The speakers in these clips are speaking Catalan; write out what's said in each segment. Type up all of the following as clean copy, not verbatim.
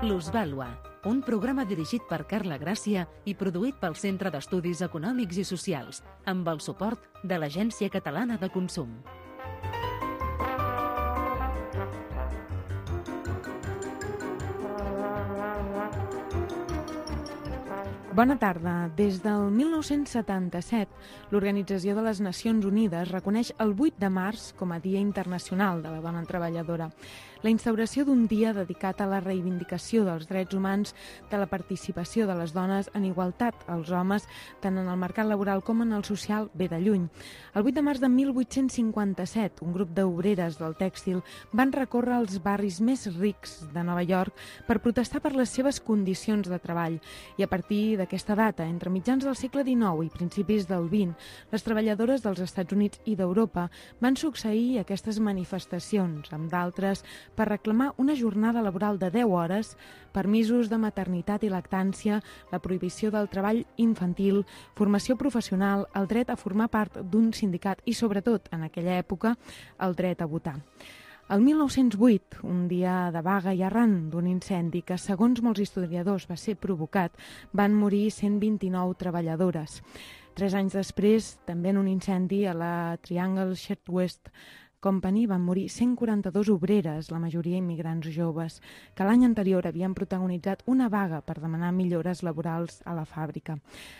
Plusvàlua, un programa dirigit per Carla Gràcia i produït pel Centre d'Estudis Econòmics i Socials, amb el suport de l'Agència Catalana de Consum. Bona tarda. Des del 1977, l'Organització de les Nacions Unides reconeix el 8 de març com a Dia Internacional de la Dona Treballadora. La instauració d'un dia dedicat a la reivindicació dels drets humans, de la participació de les dones en igualtat als homes, tant en el mercat laboral com en el social, ve de lluny. El 8 de març de 1857, un grup d'obreres del tèxtil van recórrer els barris més rics de Nova York per protestar per les seves condicions de treball. I a partir d'aquesta data, entre mitjans del segle XIX i principis del XX, les treballadores dels Estats Units i d'Europa van succeir aquestes manifestacions, amb d'altres per reclamar una jornada laboral de 10 hores, permisos de maternitat i lactància, la prohibició del treball infantil, formació professional, el dret a formar part d'un sindicat i, sobretot, en aquella època, el dret a votar. El 1908, un dia de vaga i arran d'un incendi que, segons molts historiadors, va ser provocat, van morir 129 treballadores. 3 anys després, també en un incendi a la Triangle Shirtwaist Company, van morir 142 obreres, la majoria immigrants joves, que l'any anterior havien protagonitzat una vaga per demanar millores laborals a la fàbrica.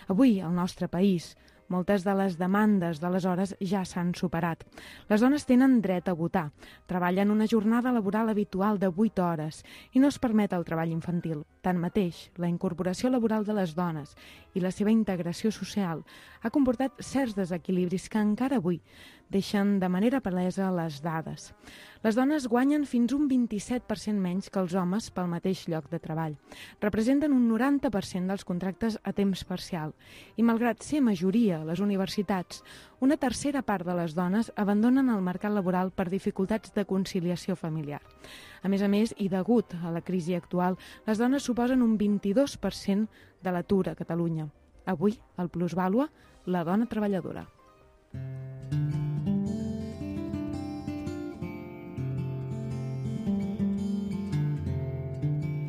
Avui, al nostre país, moltes de les demandes d'aleshores ja s'han superat. Les dones tenen dret a votar, treballen una jornada laboral habitual de 8 hores i no es permet el treball infantil. Tanmateix, la incorporació laboral de les dones i la seva integració social ha comportat certs desequilibris que encara avui deixen de manera palesa les dades. Les dones guanyen fins un 27% menys que els homes pel mateix lloc de treball. Representen un 90% dels contractes a temps parcial i, malgrat ser majoria a les universitats, una tercera part de les dones abandonen el mercat laboral per dificultats de conciliació familiar. A més, i degut a la crisi actual, les dones suposen un 22% de l'atur a Catalunya. Avui, al Plusvàlua, la dona treballadora.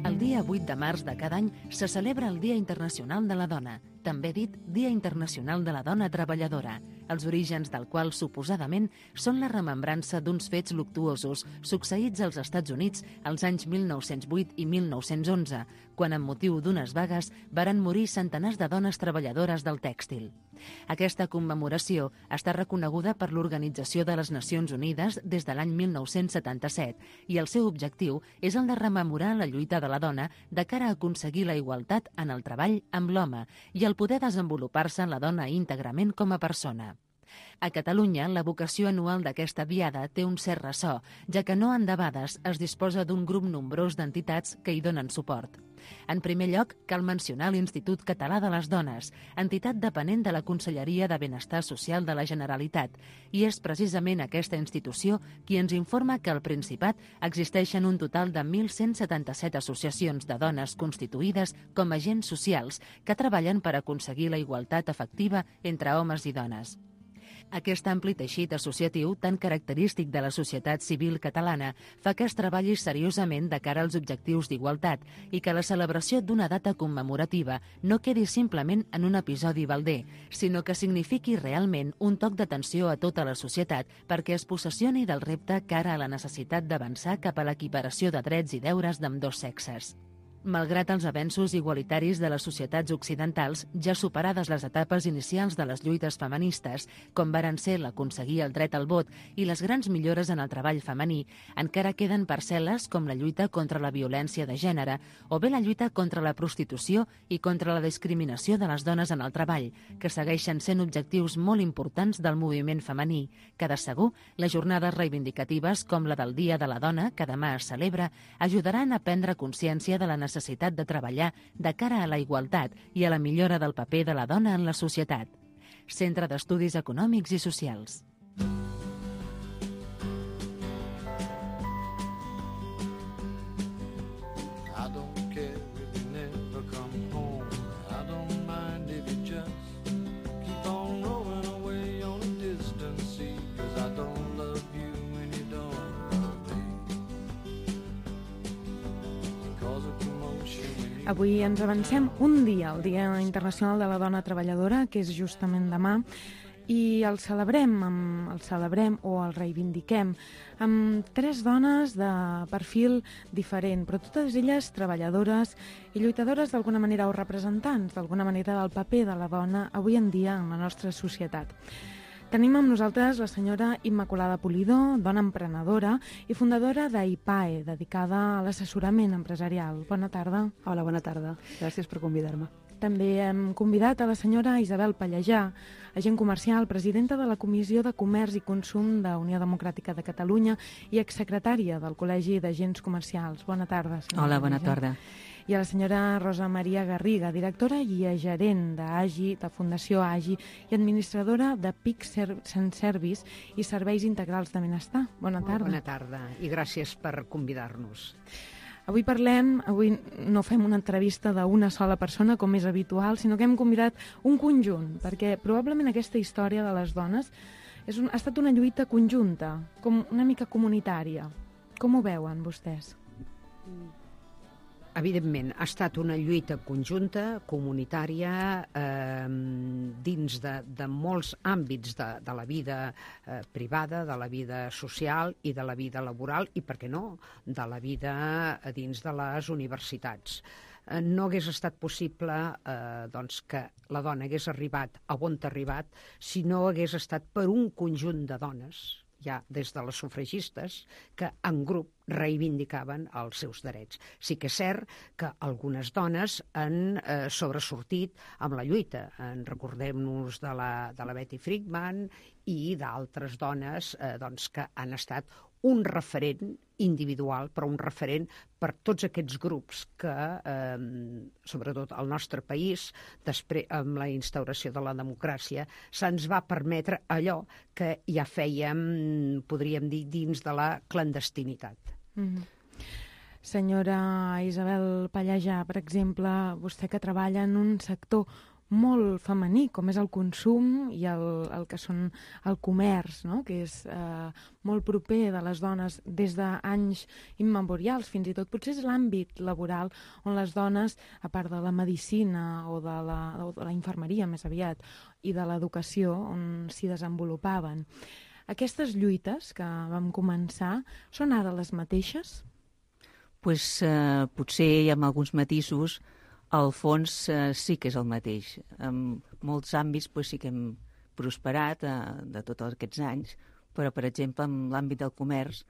El dia 8 de març de cada any se celebra el Dia Internacional de la Dona, també dit Dia Internacional de la Dona Treballadora, els orígens del qual suposadament són la remembrança d'uns fets luctuosos succeïts als Estats Units als anys 1908 i 1911, quan amb motiu d'unes vagues varen morir centenars de dones treballadores del tèxtil. Aquesta commemoració està reconeguda per l'Organització de les Nacions Unides des de l'any 1977 i el seu objectiu és el de rememorar la lluita de la dona de cara a aconseguir la igualtat en el treball amb l'home i el poder desenvolupar-se la dona íntegrament com a persona. A Catalunya, la vocació anual d'aquesta diada té un cert ressò, ja que no en debades es disposa d'un grup nombrós d'entitats que hi donen suport. En primer lloc, cal mencionar l'Institut Català de les Dones, entitat dependent de la Conselleria de Benestar Social de la Generalitat, i és precisament aquesta institució qui ens informa que al Principat existeixen un total de 1.177 associacions de dones constituïdes com a agents socials que treballen per aconseguir la igualtat efectiva entre homes i dones. Aquest ampli teixit associatiu, tan característic de la societat civil catalana, fa que es treballi seriosament de cara als objectius d'igualtat i que la celebració d'una data commemorativa no quedi simplement en un episodi balder, sinó que signifiqui realment un toc d'atenció a tota la societat perquè es possessioni del repte cara a la necessitat d'avançar cap a l'equiparació de drets i deures d'ambdós sexes. Malgrat els avenços igualitaris de les societats occidentals, ja superades les etapes inicials de les lluites feministes, com varen ser l'aconseguir el dret al vot i les grans millores en el treball femení, encara queden parcel·les com la lluita contra la violència de gènere o bé la lluita contra la prostitució i contra la discriminació de les dones en el treball, que segueixen sent objectius molt importants del moviment femení, que de segur les jornades reivindicatives com la del Dia de la Dona, que demà es celebra, ajudaran a prendre consciència de la necessitat de treballar de cara a la igualtat i a la millora del paper de la dona en la societat. Centre d'Estudis Econòmics i Socials. Avui ens avancem un dia, el Dia Internacional de la Dona Treballadora, que és justament demà, i el celebrem o el reivindiquem amb 3 dones de perfil diferent, però totes elles treballadores i lluitadores d'alguna manera o representants d'alguna manera del paper de la dona avui en dia en la nostra societat. Tenim amb nosaltres la senyora Immaculada Pulido, dona emprenedora i fundadora d'IPAE, dedicada a l'assessorament empresarial. Bona tarda. Hola, bona tarda. Gràcies per convidar-me. També hem convidat a la senyora Isabel Pallejà, agent comercial, presidenta de la Comissió de Comerç i Consum de Unió Democràtica de Catalunya i exsecretària del Col·legi d'Agents Comercials. Bona tarda, senyora. Hola, bona Pallejà. tarda. I a la senyora Rosa Maria Garriga, directora i gerent d'AGI, de Fundació AGI, i administradora de PIC Service i Serveis Integrals de Benestar. Bona tarda. Bona tarda i gràcies per convidar-nos. Avui no fem una entrevista d'una sola persona, com és habitual, sinó que hem convidat un conjunt, perquè probablement aquesta història de les dones ha estat una lluita conjunta, com una mica comunitària. Com ho veuen vostès? Evidentment, ha estat una lluita conjunta, comunitària, dins de molts àmbits de la vida privada, de la vida social i de la vida laboral i, per què no, de la vida dins de les universitats. No hagués estat possible que la dona hagués arribat a on ha arribat si no hagués estat per un conjunt de dones, ja des de les sufragistes, que en grup reivindicaven els seus drets. Sí que és cert que algunes dones han sobresortit amb la lluita. Recordem-nos de la Betty Friedman i d'altres dones que han estat un referent individual, però un referent per tots aquests grups que, sobretot al nostre país, després amb la instauració de la democràcia, se'ns va permetre allò que ja fèiem, podríem dir, dins de la clandestinitat. Senyora Isabel Pallejà, per exemple, vostè que treballa en un sector molt femení, com és el consum i el que són el comerç, no? Que és molt proper de les dones des d'anys immemorials, fins i tot potser és l'àmbit laboral on les dones, a part de la medicina o de la infermeria més aviat, i de l'educació, on s'hi desenvolupaven. Aquestes lluites que vam començar són ara les mateixes? Potser amb alguns matisos. Al fons sí que és el mateix. En molts àmbits sí que hem prosperat de tots aquests anys, però, per exemple, en l'àmbit del comerç,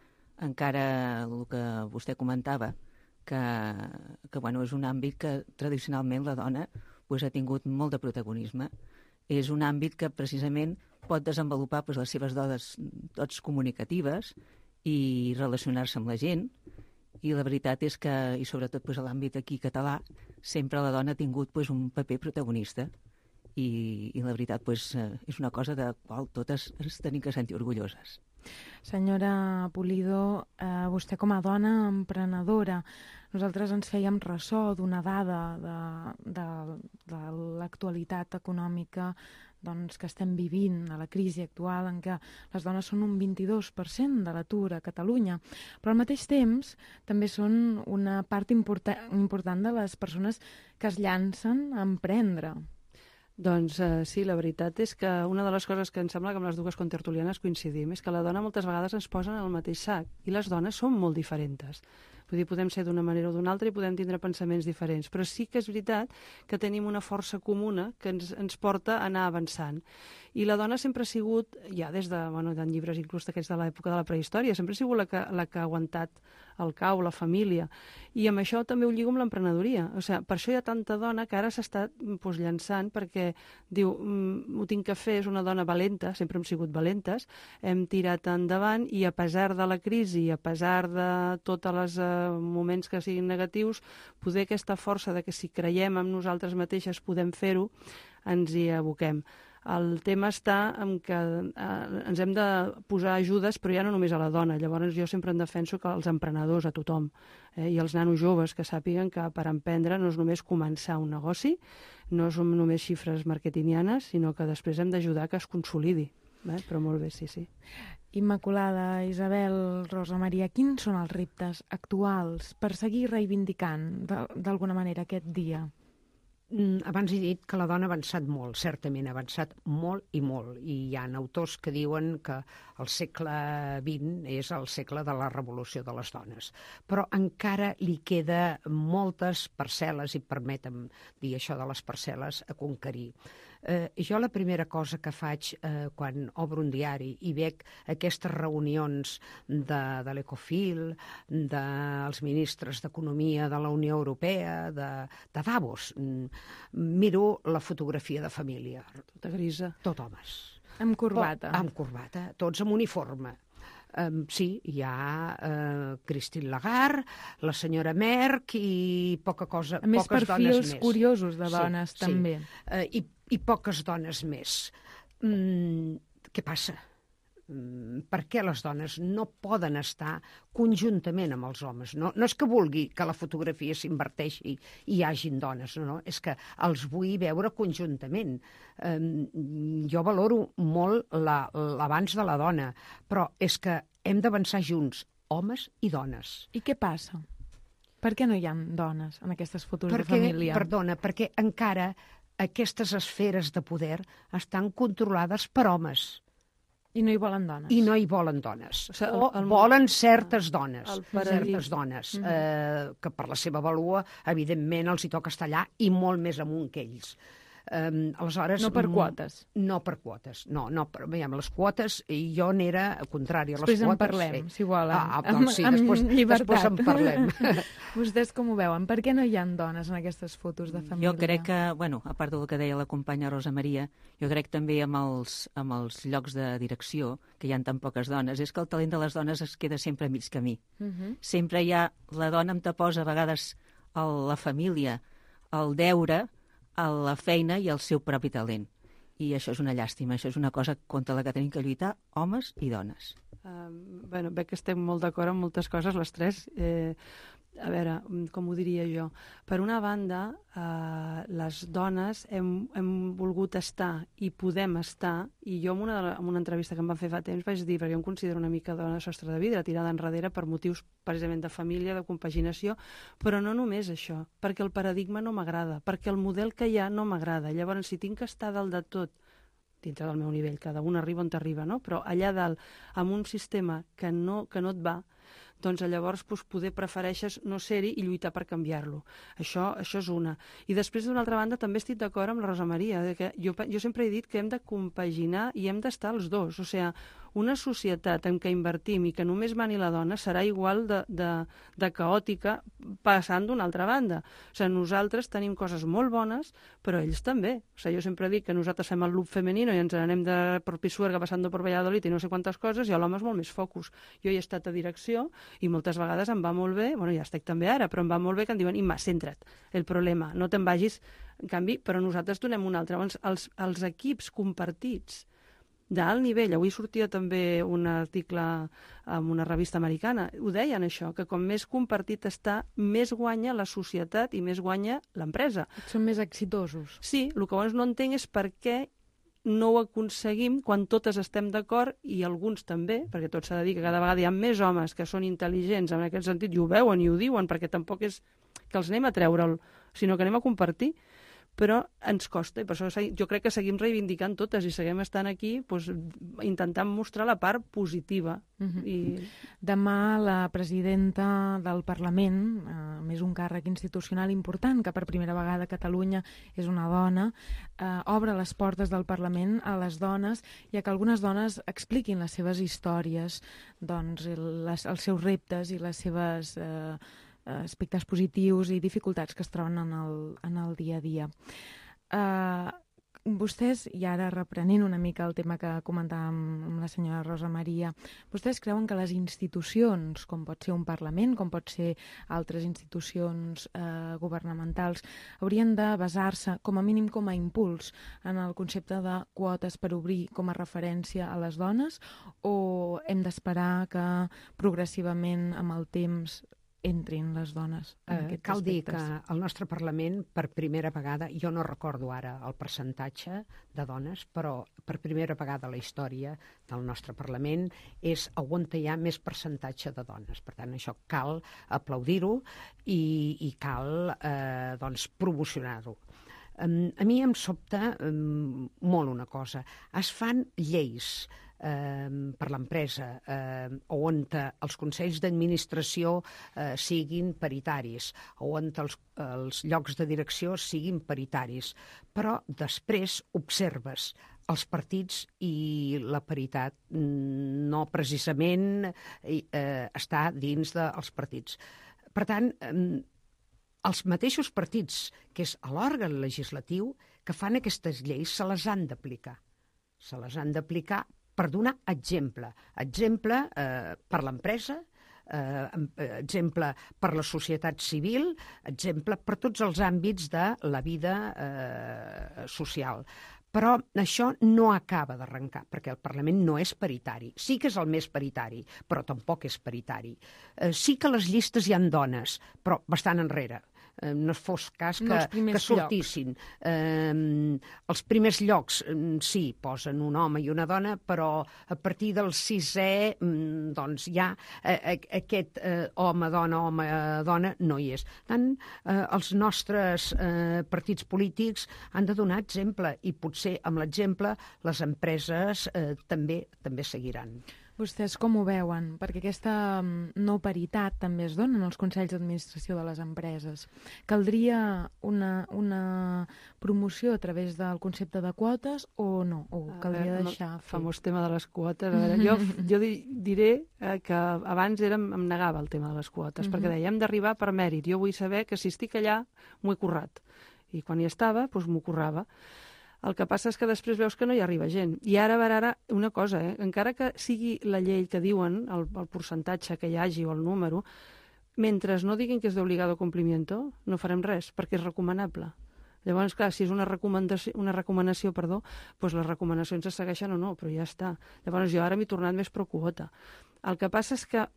encara el que vostè comentava, que és un àmbit que tradicionalment la dona ha tingut molt de protagonisme. És un àmbit que precisament pot desenvolupar les seves dots comunicatives i relacionar-se amb la gent. I la veritat és que, i sobretot a l'àmbit aquí català, sempre la dona ha tingut un paper protagonista i la veritat és una cosa de la qual totes ens tenim que sentir orgulloses. Senyora Pulido, vostè com a dona emprenedora, nosaltres ens fèiem ressò d'una dada de l'actualitat econòmica que estem vivint, a la crisi actual, en què les dones són un 22% de l'atur a Catalunya, però al mateix temps també són una part important de les persones que es llancen a emprendre. Doncs sí, la veritat és que una de les coses que em sembla que amb les dues contertulianes coincidim és que la dona moltes vegades ens posa en el mateix sac i les dones són molt diferents. Vull dir, podem ser d'una manera o d'una altra i podem tindre pensaments diferents, però sí que és veritat que tenim una força comuna que ens porta a anar avançant. I la dona sempre ha sigut, ja des de llibres inclús d'aquests de l'època de la prehistòria, sempre ha sigut la que ha aguantat el cau, la família. I amb això també ho lligo amb l'emprenedoria. O sigui, per això hi ha tanta dona que ara s'està llançant perquè diu, ho tinc que fer, és una dona valenta, sempre hem sigut valentes, hem tirat endavant i a pesar de la crisi, a pesar de tots els moments que siguin negatius, poder aquesta força de que si creiem en nosaltres mateixes podem fer-ho, ens hi aboquem. El tema està en que ens hem de posar ajudes, però ja no només a la dona. Llavors jo sempre en defenso que els emprenedors, a tothom, i els nanos joves que sàpiguen que per emprendre no és només començar un negoci, no són només xifres marketingianes, sinó que després hem d'ajudar que es consolidi. Però molt bé, sí. Immaculada, Isabel, Rosa Maria, quins són els reptes actuals per seguir reivindicant d'alguna manera aquest dia? Abans he dit que la dona ha avançat molt, certament, ha avançat molt, i hi ha autors que diuen que el segle XX és el segle de la revolució de les dones. Però encara li queda moltes parcel·les, i permetem dir això de les parcel·les, a conquerir. Jo la primera cosa que faig quan obro un diari i veig aquestes reunions de l'Ecofil, dels ministres d'Economia de la Unió Europea, de Davos, miro la fotografia de família. Tota grisa. Tot homes. Amb corbata. Amb corbata, tots amb uniforme. Sí, hi ha Christine Lagarde, la senyora Merkel i poca cosa, a més, poques dones més. perfils curiosos de dones, també. I poques dones més. Què passa? Per què les dones no poden estar conjuntament amb els homes? No és que vulgui que la fotografia s'inverteixi i hi hagin dones, no, és que els vull veure conjuntament. Jo valoro molt l'avanç de la dona, però és que hem d'avançar junts, homes i dones. I què passa? Per què no hi ha dones en aquestes fotos de família? Perdona, perquè encara aquestes esferes de poder estan controlades per homes. I no hi volen dones. I no hi volen dones. Volen certes dones, que per la seva vàlua, evidentment, els hi toca estar allà i molt més amunt que ells. Aleshores, no per quotes. No per quotes, no. Veiem, les quotes, jo n'era contrària a les després quotes. Després en parlem, si volen. Doncs sí, després en parlem. Vostès com ho veuen? Per què no hi ha dones en aquestes fotos de família? Jo crec que, a part del que deia la companya Rosa Maria, jo crec també amb els llocs de direcció, que hi ha tan poques dones, és que el talent de les dones es queda sempre a mig camí. Sempre hi ha la dona amb taposa, a vegades la família, el deure, a la feina i el seu propi talent. I això és una llàstima, això és una cosa contra la que tenim que lluitar homes i dones. Veig que estem molt d'acord amb moltes coses, les tres. A veure, com ho diria jo? Per una banda, les dones hem volgut estar i podem estar, i jo en una entrevista que em van fer fa temps vaig dir, perquè jo em considero una mica dona de sostre de vidre, tirada enrere per motius precisament de família, de compaginació, però no només això, perquè el paradigma no m'agrada, perquè el model que hi ha no m'agrada. Llavors, si tinc que estar dalt de tot, dintre del meu nivell, cada un arriba on t'arriba, no? Però allà dalt, amb un sistema que no et va, doncs llavors poder prefereixes no ser-hi i lluitar per canviar-lo. Això és una. I després, d'una altra banda, també estic d'acord amb la Rosa Maria, que jo sempre he dit que hem de compaginar i hem d'estar els dos. O sigui, una societat en què invertim i que només mani la dona serà igual de caòtica passant d'una altra banda. O sigui, nosaltres tenim coses molt bones, però ells també. O sigui, jo sempre dic que nosaltres fem el loop femenino i ens anem per Pisuerga passant per Valladolid i no sé quantes coses, i l'home és molt més focus. Jo he estat a direcció i moltes vegades em va molt bé, ja estic també ara, però em va molt bé que em diuen, Imma, centra't, el problema, no te'n vagis. En canvi, però nosaltres donem un altre. Els equips compartits d'alt nivell, avui sortia també un article en una revista americana, ho deien això, que com més compartit està, més guanya la societat i més guanya l'empresa. Són més exitosos. Sí, el que llavors no entenc és per què no ho aconseguim quan totes estem d'acord, i alguns també, perquè tot s'ha de dir que cada vegada hi ha més homes que són intel·ligents en aquest sentit, i ho veuen i ho diuen, perquè tampoc és que els anem a treure'l, sinó que anem a compartir, però ens costa, i per això jo crec que seguim reivindicant totes i seguim estant aquí intentant mostrar la part positiva. Demà la presidenta del Parlament, més un càrrec institucional important, que per primera vegada a Catalunya és una dona, obre les portes del Parlament a les dones i a que algunes dones expliquin les seves històries, doncs els seus reptes i les seves aspectes positius i dificultats que es troben en el dia a dia. Vostès, i ara reprenent una mica el tema que comentàvem amb la senyora Rosa Maria, vostès creuen que les institucions, com pot ser un Parlament, com pot ser altres institucions governamentals, haurien de basar-se, com a mínim com a impuls, en el concepte de quotes per obrir com a referència a les dones, o hem d'esperar que progressivament amb el temps entrin les dones en aquests Cal dir aspectes. que el nostre Parlament, per primera vegada, jo no recordo ara el percentatge de dones, però per primera vegada a la història del nostre Parlament és on hi ha més percentatge de dones. Per tant, això cal aplaudir-ho i cal doncs, promocionar-ho. A mi em sobta molt una cosa. Es fan lleis per l'empresa, on els consells d'administració siguin paritaris, on els llocs de direcció siguin paritaris, però després observes els partits i la paritat no precisament està dins dels partits. Per tant, els mateixos partits, que és l'òrgan legislatiu, que fan aquestes lleis, se les han d'aplicar. Se les han d'aplicar per donar exemple. Exemple per l'empresa, exemple per la societat civil, exemple per tots els àmbits de la vida social. Però això no acaba d'arrencar, perquè el Parlament no és paritari. Sí que és el més paritari, però tampoc és paritari. Sí que a les llistes hi ha dones, però bastant enrere. No fos cas que sortissin. Els primers llocs, sí, posen un home i una dona, però a partir del 6è, doncs ja aquest home-dona no hi és. Tant els nostres partits polítics han de donar exemple i potser amb l'exemple les empreses també seguiran. Vostès com ho veuen? Perquè aquesta no paritat també es dona en els consells d'administració de les empreses. Caldria una promoció a través del concepte de quotes o no? O caldria deixar fer? Famós tema de les quotes. A veure, jo diré que abans em negava el tema de les quotes, perquè deia, hem d'arribar per mèrit. Jo vull saber que si estic allà m'ho he currat. I quan hi estava, doncs m'ho currava. El que passa és que després veus que no hi arriba gent. I ara una cosa, encara que sigui la llei que diuen, el percentatge que hi hagi o el número, mentre no diguin que és d'obligado complimiento, no farem res, perquè és recomanable. Llavors, clar, si és una recomanació, doncs les recomanacions es segueixen o no, però ja està. Llavors jo ara m'he tornat més pro quota. El que passa és que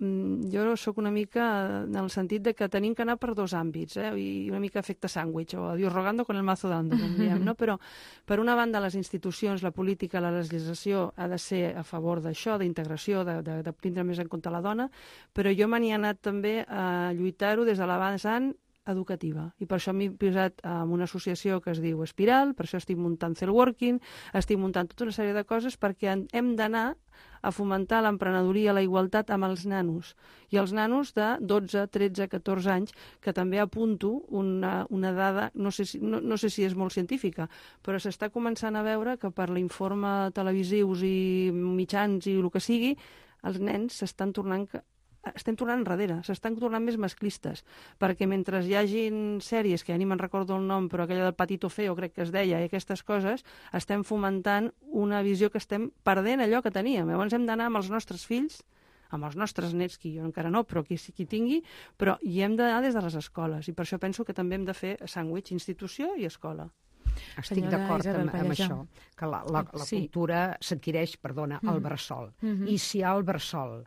jo sóc una mica en el sentit de que tenim que anar per dos àmbits, i una mica efecte sàndwich, o a Dios rogando con el mazo dando, com diem, no? Però, per una banda, les institucions, la política, la legislació ha de ser a favor d'això, d'integració, de tindre més en compte la dona, però jo me n'hi he anat també a lluitar-ho des de la vessant educativa. I per això m'he posat en una associació que es diu Espiral, per això estic muntant Cellworking, estic muntant tota una sèrie de coses perquè hem d'anar a fomentar l'emprenedoria, la igualtat amb els nanos. I els nanos de 12, 13, 14 anys, que també apunto una dada, no sé si és molt científica, però s'està començant a veure que per l'informe televisius i mitjans i el que sigui, els nens estem tornant enrere, s'estan tornant més masclistes, perquè mentre hi hagin sèries, que ja ni me'n recordo el nom, però aquella del Patito Feo, crec que es deia, i aquestes coses, estem fomentant una visió que estem perdent allò que teníem. Llavors hem d'anar amb els nostres fills, amb els nostres nets, que jo encara no, però qui tingui, però hi hem d'anar des de les escoles, i per això penso que també hem de fer sàndwich, institució i escola. Estic d'acord amb això, que la cultura s'adquireix, al bressol. I si al bressol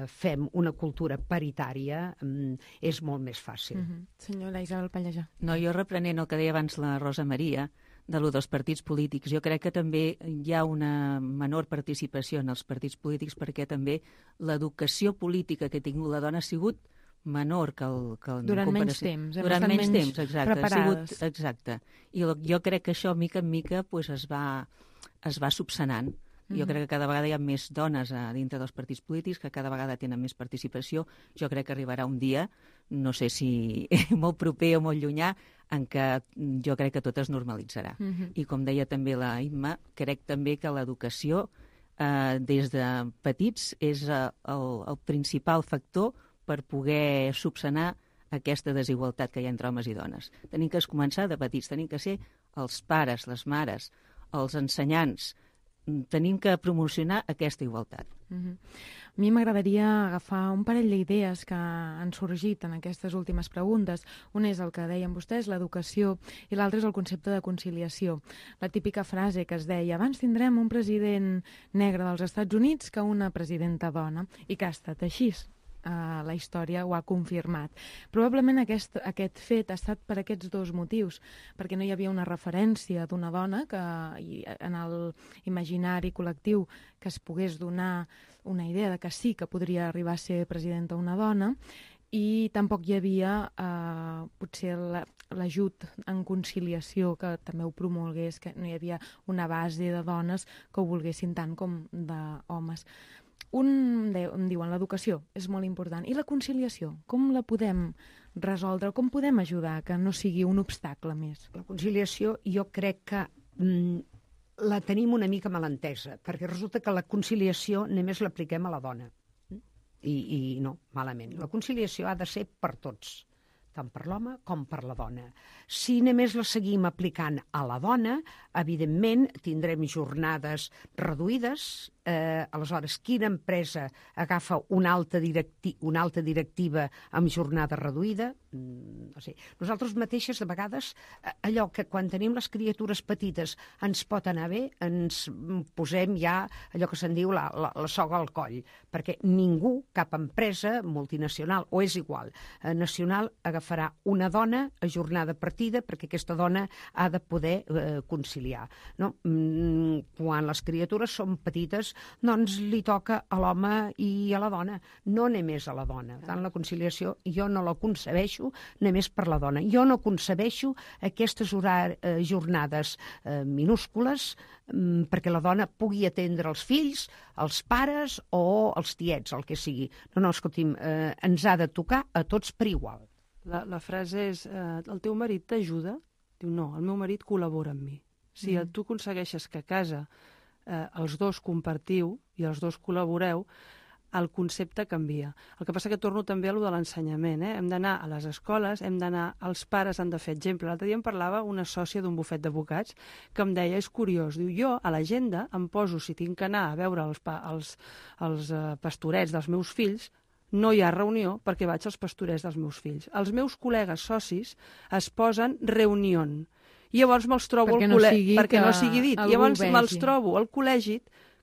fem una cultura paritària, és molt més fàcil. Senyora Isabel Pallejà. No, jo reprenent el que deia abans la Rosa Maria, de lo dels partits polítics, jo crec que també hi ha una menor participació en els partits polítics perquè també l'educació política que ha tingut la dona ha sigut menor que durant menys temps. Durant menys temps, exacte. Preparades. Exacte. I jo crec que això, mica en mica, pues, es va subsanant. Jo crec que cada vegada hi ha més dones dintre dels partits polítics, que cada vegada tenen més participació. Jo crec que arribarà un dia, no sé si molt proper o molt llunyà, en què jo crec que tot es normalitzarà. I com deia també la Imma, crec també que l'educació des de petits és el principal factor per poder subsanar aquesta desigualtat que hi ha entre homes i dones. Tenim que començar de petits, tenim que ser els pares, les mares, els ensenyants, tenim que promocionar aquesta igualtat. A mi m'agradaria agafar un parell d'idees que han sorgit en aquestes últimes preguntes. Un és el que deien vostès, l'educació, i l'altre és el concepte de conciliació. La típica frase que es deia, abans tindrem un president negre dels Estats Units que una presidenta dona, i que ha estat així. la història ho ha confirmat. Probablement aquest fet ha estat per aquests dos motius, perquè no hi havia una referència d'una dona que en l'imaginari col·lectiu que es pogués donar una idea de que sí que podria arribar a ser presidenta una dona, i tampoc hi havia potser l'ajut en conciliació que també ho promulgués, que no hi havia una base de dones que ho volguessin tant com d'homes. Em diuen l'educació és molt important. I la conciliació, com la podem resoldre? Com podem ajudar que no sigui un obstacle més? La conciliació jo crec que la tenim una mica malentesa, perquè resulta que la conciliació només l'apliquem a la dona. I no, malament. La conciliació ha de ser per tots, tant per l'home com per la dona. Si només la seguim aplicant a la dona, evidentment tindrem jornades reduïdes. Aleshores, quina empresa agafa una alta directiva amb jornada reduïda? No sé. Nosaltres mateixes, de vegades, allò que quan tenim les criatures petites ens pot anar bé, ens posem ja allò que se'n diu la soga al coll, perquè ningú, cap empresa multinacional, o és igual, nacional, agafarà una dona a jornada partida perquè aquesta dona ha de poder conciliar. No? Quan les criatures són petites, doncs li toca a l'home i a la dona, no només a la dona. Per tant, la conciliació jo no la concebeixo només per la dona. Jo no concebeixo aquestes jornades minúscules perquè la dona pugui atendre els fills, els pares o els tiets, el que sigui. No, escolti'm, ens ha de tocar a tots per igual. La frase és, el teu marit t'ajuda? Diu, no, el meu marit col·labora amb mi. Si tu aconsegueixes que a casa els dos compartiu i els dos col·laboreu, el concepte canvia. El que passa que torno també a lo de l'ensenyament. Hem d'anar a les escoles, els pares han de fer exemple. L'altre dia em parlava una sòcia d'un bufet d'advocats que em deia, és curiós, diu, jo a l'agenda em poso, si tinc que anar a veure els pastorets dels meus fills, no hi ha reunió perquè vaig als pastorets dels meus fills. Els meus col·legues socis es posen reunió. I llavors me'ls trobo perquè no sigui dit. Llavors me'ls trobo al col·legi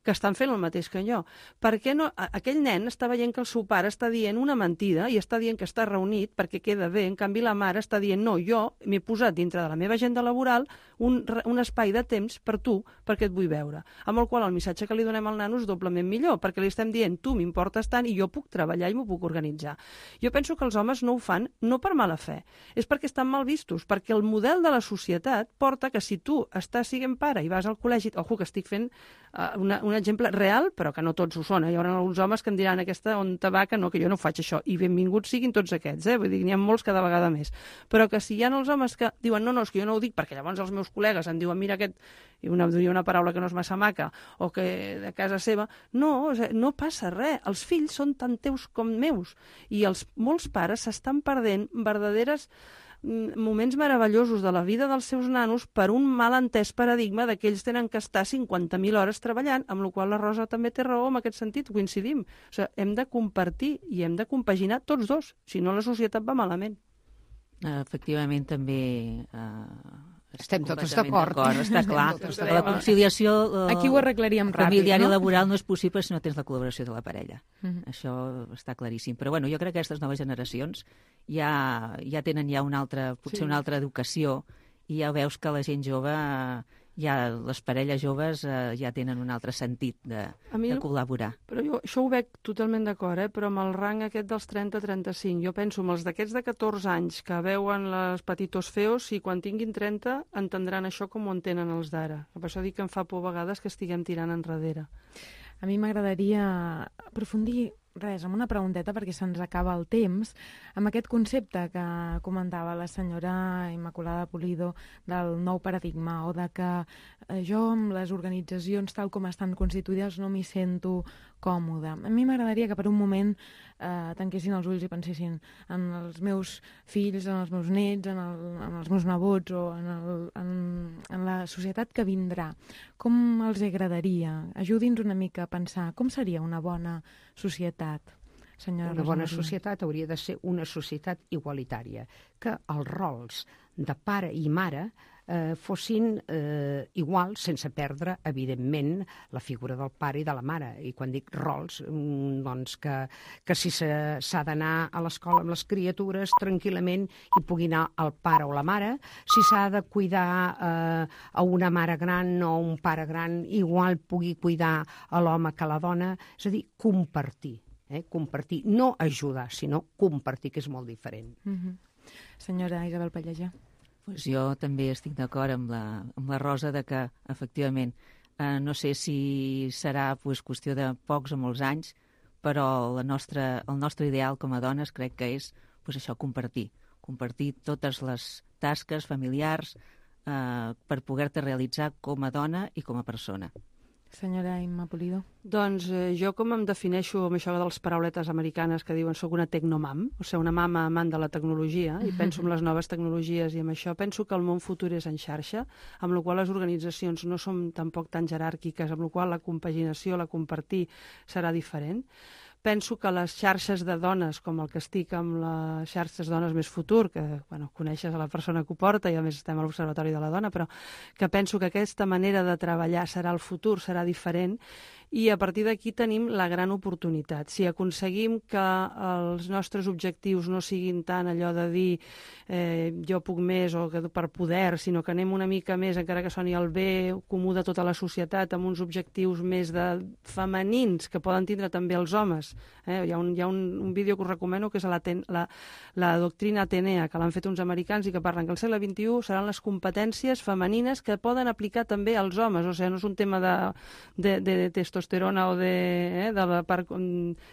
que estan fent el mateix que jo. Per què no? Aquell nen està veient que el seu pare està dient una mentida i està dient que està reunit perquè queda bé, en canvi la mare està dient no, jo m'he posat dintre de la meva agenda laboral un espai de temps per tu, perquè et vull veure. Amb el qual el missatge que li donem al nano és doblement millor, perquè li estem dient tu m'importes tant i jo puc treballar i m'ho puc organitzar. Jo penso que els homes no ho fan no per mala fe, és perquè estan mal vistos, perquè el model de la societat porta que si tu estàs sent pare i vas al col·legi, ojo que estic fent un exemple real, però que no tots ho són. Hi haurà alguns homes que em diran aquesta on te va, que jo no faig això. I benvinguts siguin tots aquests, vull dir, n'hi ha molts cada vegada més. Però que si hi ha els homes que diuen no, és que jo no ho dic, perquè llavors els meus col·legues em diuen mira aquest, i una paraula que no és massa maca, o que de casa seva, no passa res. Els fills són tant teus com meus. I molts pares s'estan perdent verdaderes moments meravellosos de la vida dels seus nanos per un malentès paradigma que ells tenen que estar 50.000 hores treballant, amb la qual la Rosa també té raó en aquest sentit, coincidim. O sigui, hem de compartir i hem de compaginar tots dos, si no la societat va malament. Efectivament, també estem totes d'acord. Està clar. La conciliació aquí ho arreglaríem ràpid, familiar i laboral no és possible si no tens la col·laboració de la parella. Això està claríssim. Però bueno, jo crec que aquestes noves generacions ja tenen potser una altra educació i ja veus que la gent jove, les parelles joves ja tenen un altre sentit de col·laborar. Però jo això ho veig totalment d'acord, però amb el rang aquest dels 30-35, jo penso amb els d'aquests de 14 anys que veuen les petitos feos, i quan tinguin 30 entendran això com ho entenen els d'ara. Per això dic que em fa por a vegades que estiguem tirant enrere. A mi m'agradaria aprofundir amb una pregunteta perquè se'ns acaba el temps, amb aquest concepte que comentava la senyora Immaculada Pulido del nou paradigma, o de que jo amb les organitzacions tal com estan constituïdes no m'hi sento còmode. A mi m'agradaria que per un moment tanquessin els ulls i pensessin en els meus fills, en els meus nets, en els meus nebots o en la societat que vindrà. Com els agradaria? Ajudi'ns una mica a pensar com seria una bona societat. Una bona societat hauria de ser una societat igualitària, que els rols de pare i mare fossin iguals, sense perdre, evidentment, la figura del pare i de la mare. I quan dic rols, doncs que si s'ha d'anar a l'escola amb les criatures tranquil·lament hi pugui anar el pare o la mare, si s'ha de cuidar a una mare gran o un pare gran, igual pugui cuidar a l'home que a la dona, és a dir, compartir. Compartir, no ajudar, sinó compartir, que és molt diferent. Senyora Isabel Pallejà. Pues jo també estic d'acord amb la Rosa de que, efectivament, no sé si serà qüestió de pocs o molts anys, però el nostre ideal com a dones crec que és això, compartir totes les tasques familiars per poder-te realitzar com a dona i com a persona. Senyora Imma Pulido. Doncs jo com em defineixo amb això de les parauletes americanes que diuen soc una tecnomam, o sigui, una mama amant de la tecnologia, i penso en les noves tecnologies i amb això penso que el món futur és en xarxa, amb la qual les organitzacions no són tampoc tan jeràrquiques, amb la qual la compaginació, la compartir serà diferent. Penso que les xarxes de dones, com el que estic amb les xarxes dones més futur, que coneixes a la persona que ho porta i a més estem a l'Observatori de la Dona, però que penso que aquesta manera de treballar serà el futur, serà diferent, i a partir d'aquí tenim la gran oportunitat. Si aconseguim que els nostres objectius no siguin tant allò de dir jo puc més o que per poder, sinó que anem una mica més, encara que soni el bé comú de tota la societat, amb uns objectius més femenins que poden tindre també els homes. Hi ha un vídeo que us recomano que és la doctrina Atenea, que l'han fet uns americans i que parlen que al segle XXI seran les competències femenines que poden aplicar també als homes. O sigui, no és un tema de testosterona o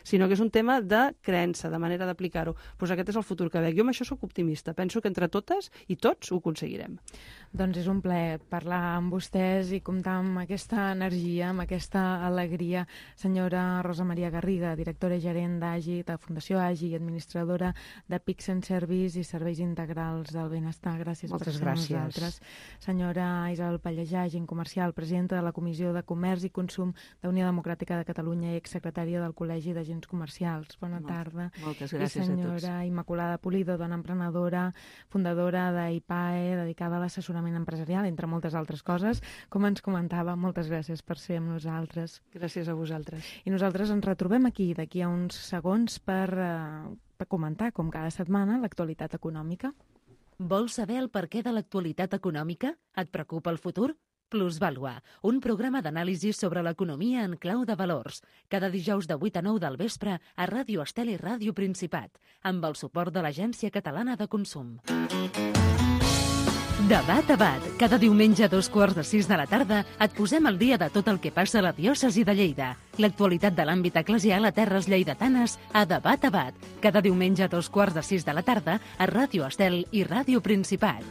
sinó que és un tema de creença, de manera d'aplicar-ho. Doncs aquest és el futur que veig. Jo amb això sóc optimista. Penso que entre totes i tots ho aconseguirem. Doncs és un plaer parlar amb vostès i comptar amb aquesta energia, amb aquesta alegria. Senyora Rosa Maria Garriga, directora i gerent d'AGI, de Fundació AGI, administradora de Pics and Service i Serveis Integrals del Benestar. Gràcies per ser amb nosaltres. Senyora Isabel Pallejà, agent comercial, presidenta de la Comissió de Comerç i Consum de Unió Democràtica de Catalunya i exsecretària del Col·legi d'Agents Comercials. Bona tarda. Moltes gràcies a tots. I senyora Immaculada Pulido, dona emprenedora, fundadora d'IPAE, dedicada a l'assessorament empresarial, entre moltes altres coses. Com ens comentava, moltes gràcies per ser amb nosaltres. Gràcies a vosaltres. I nosaltres ens retrobem d'aquí a uns segons per comentar, com cada setmana, l'actualitat econòmica. Vols saber el perquè de l'actualitat econòmica? Et preocupa el futur? Plusvàlua, un programa d'anàlisi sobre l'economia en clau de valors. Cada dijous de 8 a 9 del vespre a Ràdio Estel i Ràdio Principat, amb el suport de l'Agència Catalana de Consum. Debat a Bat. Cada diumenge a 5:45 de la tarda et posem al dia de tot el que passa a la diòcesi de Lleida. L'actualitat de l'àmbit eclesial a terres lleidatanes a Debat a Bat. Cada diumenge a 5:45 de la tarda a Ràdio Estel i Ràdio Principat.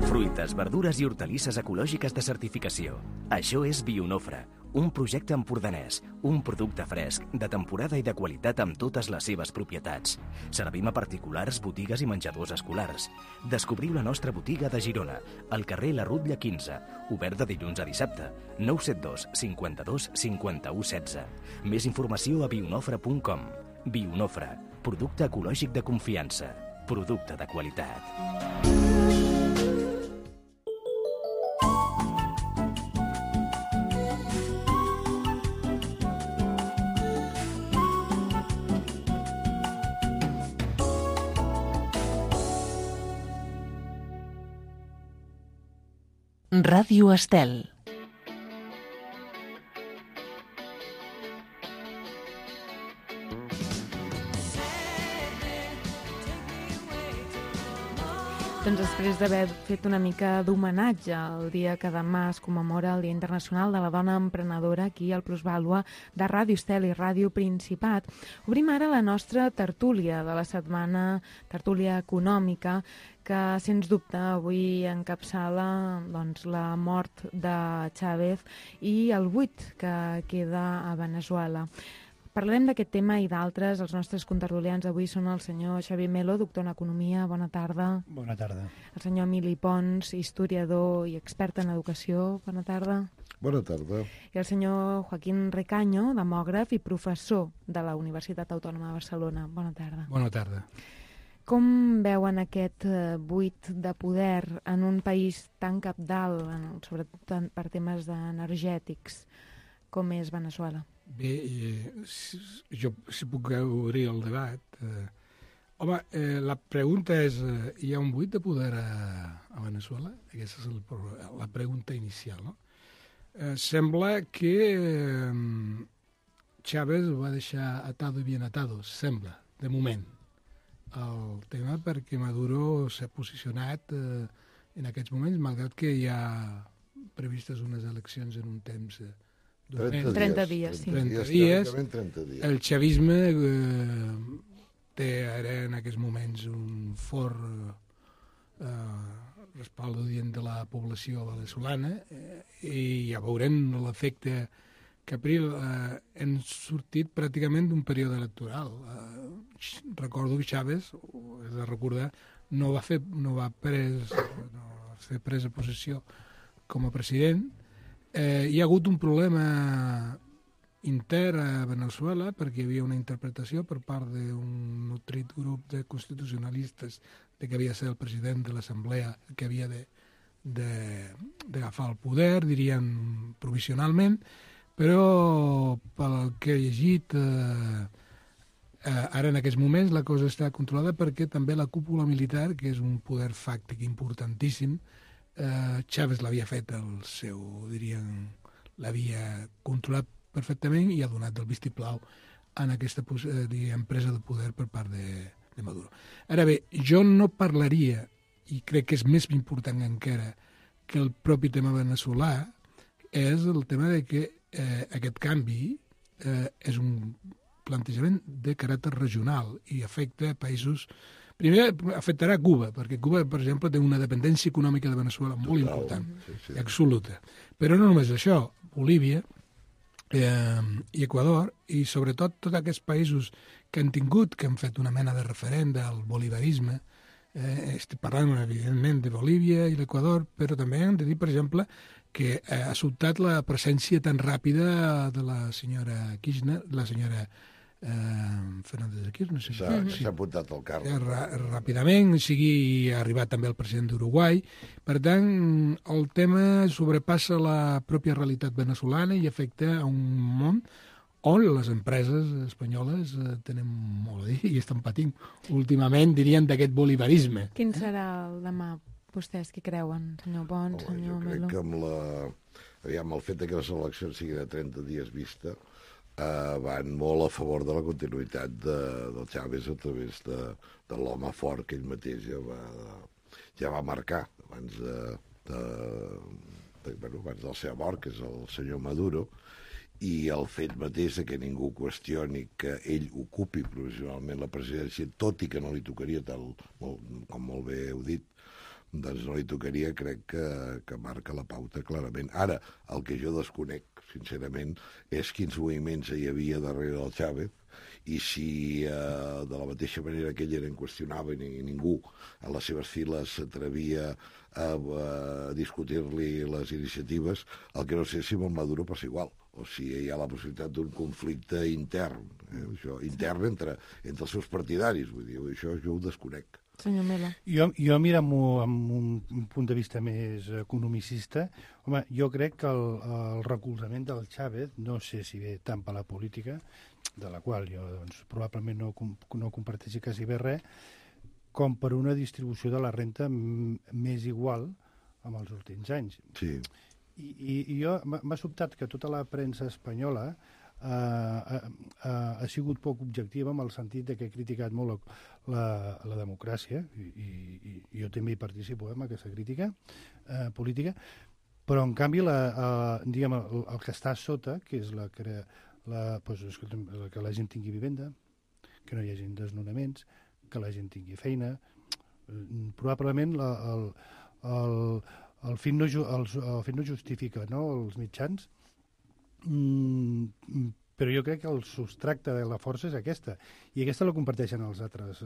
Fruites, verdures i hortalisses ecològiques de certificació. Això és Bionofre, un projecte empordanès, un producte fresc, de temporada i de qualitat amb totes les seves propietats. Servim a particulars, botigues i menjadors escolars. Descobriu la nostra botiga de Girona, al carrer La Rutlla 15, obert de dilluns a dissabte, 972 52 51 16. Més informació a bionofre.com. Bionofre, producte ecològic de confiança, producte de qualitat. Ràdio Estel. Doncs després d'haver fet una mica d'homenatge al dia que demà es commemora el Dia Internacional de la Dona Emprenedora aquí al Plusvàlua de Ràdio Estel i Ràdio Principat, obrim ara la nostra tertúlia de la setmana, tertúlia econòmica, que, sens dubte, avui encapçala la mort de Chávez i el buit que queda a Venezuela. Parlarem d'aquest tema i d'altres. Els nostres contertulians avui són el senyor Xavier Melo, doctor en Economia, bona tarda. Bona tarda. El senyor Emili Pons, historiador i expert en educació, bona tarda. Bona tarda. I el senyor Joaquín Recaño, demògraf i professor de la Universitat Autònoma de Barcelona, bona tarda. Bona tarda. Com veuen aquest buit de poder en un país tan cabdal, sobretot per temes energètics, com és Veneçuela? Bé, jo si puc obrir el debat. Home, la pregunta és, hi ha un buit de poder a Veneçuela? Aquesta és la pregunta inicial, no? Sembla que Chávez ho va deixar atado i bien atado, sembla, de moment, el tema, perquè Maduro s'ha posicionat en aquests moments, malgrat que hi ha previstes unes eleccions en un temps 30 dies, sí. 30 dies. 30 dies. El chavisme té ara en aquests moments un fort respaldo dient de la població veneçolana i ja veurem l'efecte que April hem sortit pràcticament d'un període electoral. Recordo que Chávez, és de recordar, no va fer presa possessió com a president. Hi ha hagut un problema intern a Veneçuela perquè hi havia una interpretació per part d'un nutrit grup de constitucionalistes de que havia de ser el president de l'Assemblea que havia d'agafar el poder, dirien provisionalment, però pel que he llegit ara en aquests moments la cosa està controlada perquè també la cúpula militar, que és un poder fàctic importantíssim, Chávez l'havia fet el seu, dirien, l'havia controlat perfectament i ha donat el vistiplau en aquesta presa de poder per part de Maduro. Ara bé, jo no parlaria, i crec que és més important encara que el propi tema veneçolà, és el tema de que aquest canvi és un plantejament de caràcter regional i afecta països. Primer afectarà Cuba, perquè Cuba, per exemple, té una dependència econòmica de Veneçuela molt important, sí. Absoluta. Però no només això, Bolívia i Equador, i sobretot tots aquests països que han fet una mena de referent del bolivarisme, estic parlant, evidentment, de Bolívia i l'Equador, però també hem de dir, per exemple, que ha sobtat la presència tan ràpida de la senyora Kirchner, la senyora Fernández de Kirchner. S'ha apuntat al càrrec. Ràpidament, ha arribat també el president d'Uruguai. Per tant, el tema sobrepassa la pròpia realitat veneçolana i afecta a un món on les empreses espanyoles tenen molt a dir i estan patint últimament, dirien, d'aquest bolivarisme. Quin serà el demà? Vostès què creuen, senyor Pons, senyor Melo? Jo crec que amb el fet que les eleccions siguin a 30 dies vista van molt a favor de la continuïtat del Chávez a través de l'home fort que ell mateix ja va marcar abans del seu mort, que és el senyor Maduro, i el fet mateix que ningú qüestioni que ell ocupi provisionalment la presidència, tot i que no li tocaria, com molt bé heu dit, doncs no li tocaria, crec que marca la pauta clarament. Ara, el que jo desconec, sincerament, és quins moviments hi havia darrere del Chávez i si de la mateixa manera que ell era inqüestionable i ningú a les seves files s'atrevia a discutir-li les iniciatives, el que no sé si amb el Maduro passa igual, o si hi ha la possibilitat d'un conflicte intern, intern entre els seus partidaris, vull dir, això jo ho desconec. Senyor Melo. Jo miro amb un punt de vista més economicista. Home, jo crec que el recolzament del Chávez, no sé si ve tant per la política, de la qual jo probablement no comparteixi quasi bé res, com per una distribució de la renta més igual amb els últims anys. Sí. I jo m'ha sobtat que tota la premsa espanyola ha sigut poc objectiva en el sentit que he criticat molt la democràcia i jo també hi participo en aquesta crítica política, però en canvi diguem, el que està a sota, que és que la gent tingui vivenda, que no hi hagi desnonaments, que la gent tingui feina, probablement el fin no justifica, no, els mitjans, però jo crec que el substracte de la força és aquesta, i aquesta la comparteixen els altres.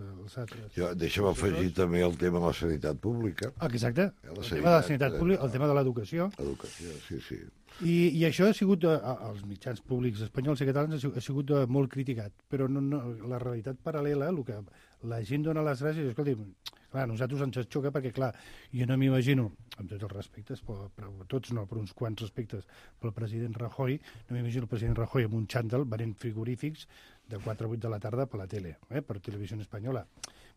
Deixa'm afegir també el tema de la sanitat pública. Exacte, el tema de la sanitat pública, el tema de l'educació. Educació, sí. I això ha sigut, als mitjans públics espanyols i catalans, ha sigut molt criticat, però la realitat paral·lela, el que la gent dona les gràcies, escolti, clar, a nosaltres ens xoca perquè, clar, jo no m'imagino, amb tots els respectes, però tots no, però uns quants respectes, pel president Rajoy, no m'imagino el president Rajoy amb un xàndal venent frigorífics de 4 a 8 de la tarda per la tele, per Televisió Espanyola.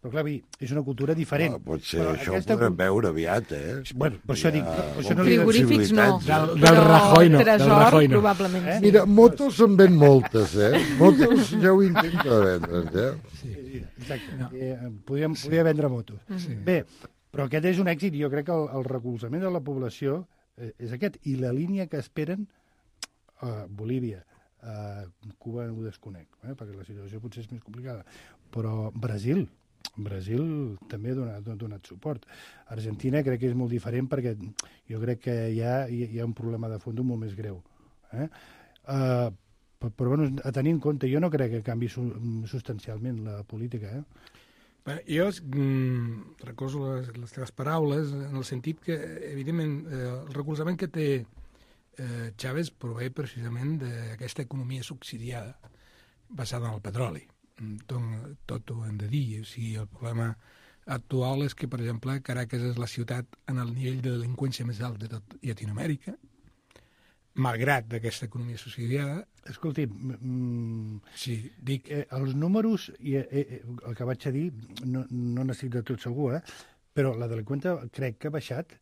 Però, clar, és una cultura diferent. Potser això ho podrem veure aviat, Bueno, per això dic... Frigorífics no, del Rajoy no. Tresor, probablement sí. Mira, motos se'n ven moltes, Motos ja ho intenta vendre, Sí, exacte. No. Podria vendre motos. Sí. Bé, però aquest és un èxit. Jo crec que el recolzament de la població és aquest. I la línia que esperen Bolívia, Cuba ho desconec, perquè la situació potser és més complicada. Però Brasil també ha donat suport. Argentina crec que és molt diferent perquè jo crec que hi ha un problema de fons molt més greu. Però bueno, a tenir en compte, jo no crec que canvi substancialment la política. Bé, jo recordo les teves paraules en el sentit que, evidentment, el recolzament que té Chávez prové precisament d'aquesta economia subsidiada basada en el petroli. Tot ho hem de dir. O sigui, el problema actual és que, per exemple, Caracas és la ciutat en el nivell de delinqüència més alt de tot Llatinoamèrica, malgrat aquesta economia subsidiada. Escolti, sí, dic... els números, el que vaig a dir, no n'estic de tot segur, però la delinqüència crec que ha baixat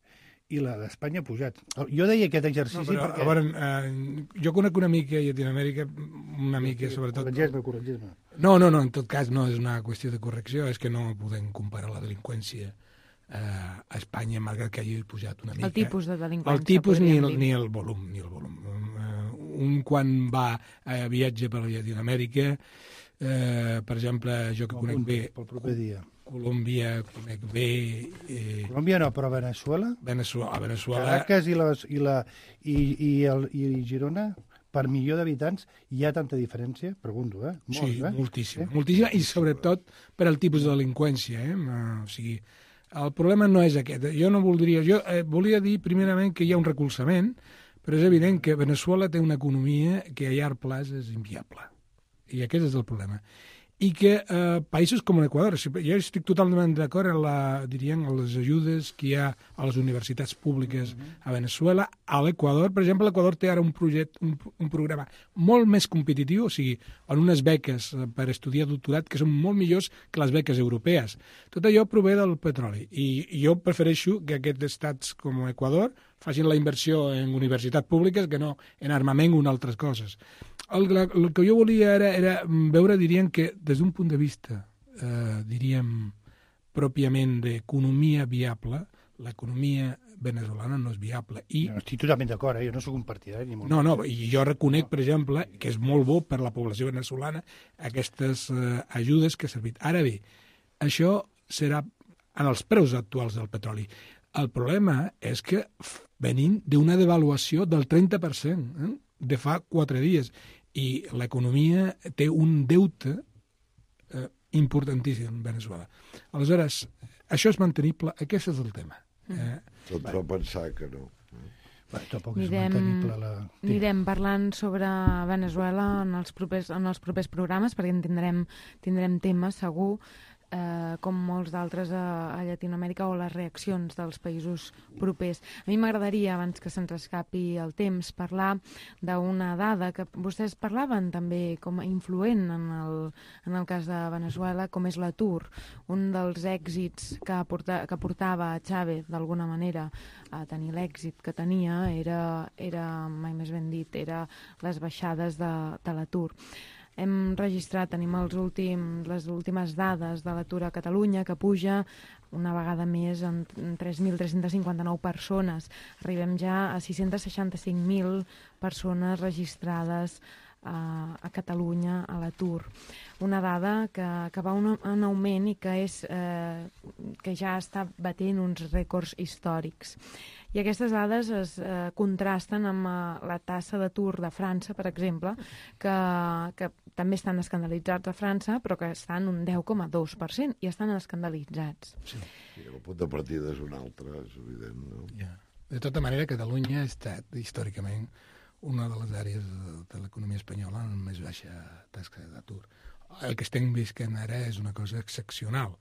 i la d'Espanya ha pujat. Jo deia aquest exercici perquè... A veure, jo conec una mica a Llatinoamèrica, una mica sobretot... Corregeix-me. No, en tot cas no és una qüestió de correcció, és que no podem comparar la delinqüència a Espanya, malgrat que hagi pujat una mica. El tipus de delinqüència. El tipus ni el volum. Un quan va a viatge per Llatinoamèrica, per exemple, jo que conec bé... Pel proper dia. Colòmbia, conec bé... Colòmbia no, però Veneçuela? Veneçuela... Caracas i Girona, per milió d'habitants, hi ha tanta diferència? Pregunto, Sí, moltíssima. Moltíssima, i sobretot per al tipus de delinqüència, O sigui, el problema no és aquest. Jo volia dir, primerament, que hi ha un recolzament, però és evident que Veneçuela té una economia que a llarg plaç és inviable. I aquest és el problema. I que països com l'Equador, jo estic totalment d'acord en les ajudes que hi ha a les universitats públiques a Veneçuela. A l'Equador, per exemple, l'Equador té ara un programa molt més competitiu, o sigui, en unes beques per estudiar doctorat que són molt millors que les beques europees. Tot allò prové del petroli. I jo prefereixo que aquests estats com l'Equador facin la inversió en universitats públiques que no en armament o en altres coses. El que jo volia era veure, diríem, que des d'un punt de vista, pròpiament d'economia viable, l'economia veneçolana no és viable. No, estic totalment d'acord, jo no soc un partidari. No, i jo reconec, per exemple, que és molt bo per la població veneçolana aquestes ajudes que ha servit. Ara bé, això serà en els preus actuals del petroli. El problema és que venim d'una devaluació del 30% de fa 4 dies i l'economia té un deute importantíssim en Veneçuela. Aleshores, això és mantenible? Aquest és el tema. Tot fa pensar que no. Tampoc és mantenible Anirem parlant sobre Veneçuela en els propers programes, perquè en tindrem temes, segur, com molts d'altres a Llatinoamèrica, o les reaccions dels països propers. A mi m'agradaria, abans que se'ns escapi el temps, parlar d'una dada que vostès parlaven també com a influent en el cas de Veneçuela, com és l'atur. Un dels èxits que portava Chávez, d'alguna manera, a tenir l'èxit que tenia era, mai més ben dit, era les baixades de l'atur. Hem registrat, tenim les últimes dades de l'atur a Catalunya, que puja una vegada més en 3.359 persones. Arribem ja a 665.000 persones registrades a Catalunya a l'atur. Una dada que va en augment i que ja està batent uns rècords històrics. I aquestes dades es contrasten amb la tassa d'atur de França, per exemple, que també estan escandalitzats a França, però que estan un 10,2% i estan escandalitzats. Sí, el punt de partida és un altre, és evident, no? Ja. De tota manera, Catalunya ha estat, històricament, una de les àrees de l'economia espanyola amb més baixa taxa d'atur. El que estem visquent ara és una cosa excepcional.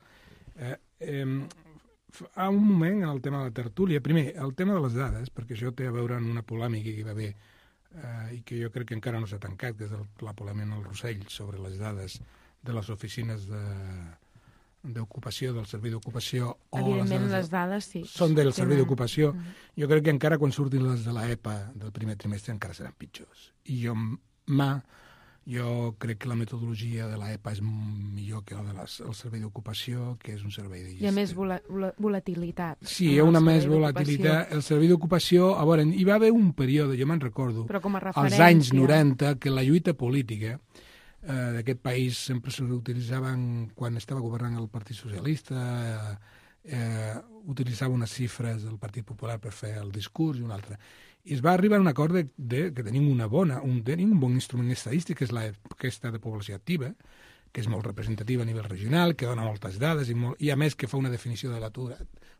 Fa un moment, el tema de la tertúlia, primer, el tema de les dades, perquè això té a veure amb una polèmica que hi va haver i que jo crec que encara no s'ha tancat, que és la polèmica al Rossell sobre les dades de les oficines d'ocupació, del servei d'ocupació. Evidentment, les dades sí. Són del servei d'ocupació. Jo crec que encara quan surtin les de l'EPA del primer trimestre encara seran pitjors. I jo crec que la metodologia de l'EPA és millor que la del servei d'ocupació, que és un servei de... Hi ha més volatilitat. Sí, hi ha una més volatilitat. El servei d'ocupació, a veure, hi va haver un període, jo me'n recordo, als anys 90, que la lluita política d'aquest país sempre s'utilitzaven, quan estava governant el Partit Socialista, utilitzava unes xifres del Partit Popular per fer el discurs i una altra. I es va arribar a un acord que tenim un bon instrument estadístic, que és aquesta de població activa, que és molt representativa a nivell regional, que dona moltes dades i a més que fa una definició de l'atur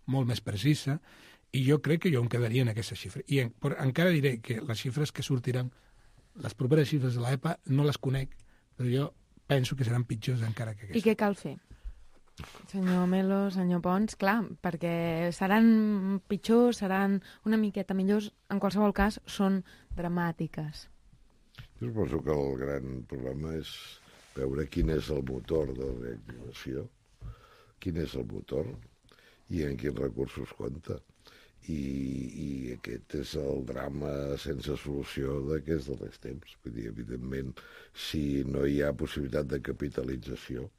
molt més precisa, i jo crec que jo em quedaria en aquesta xifra. I encara diré que les xifres que sortiran, les properes xifres de l'EPA, no les conec, però jo penso que seran pitjors encara que aquestes. I què cal fer? Senyor Melo, senyor Pons, clar, perquè seran pitjors, seran una miqueta millors, en qualsevol cas són dramàtiques. Jo suposo que el gran problema és veure quin és el motor de la reactivació, quin és el motor i en quins recursos compta. I aquest és el drama sense solució d'aquests darrers temps. Vull dir, evidentment, si no hi ha possibilitat de capitalització,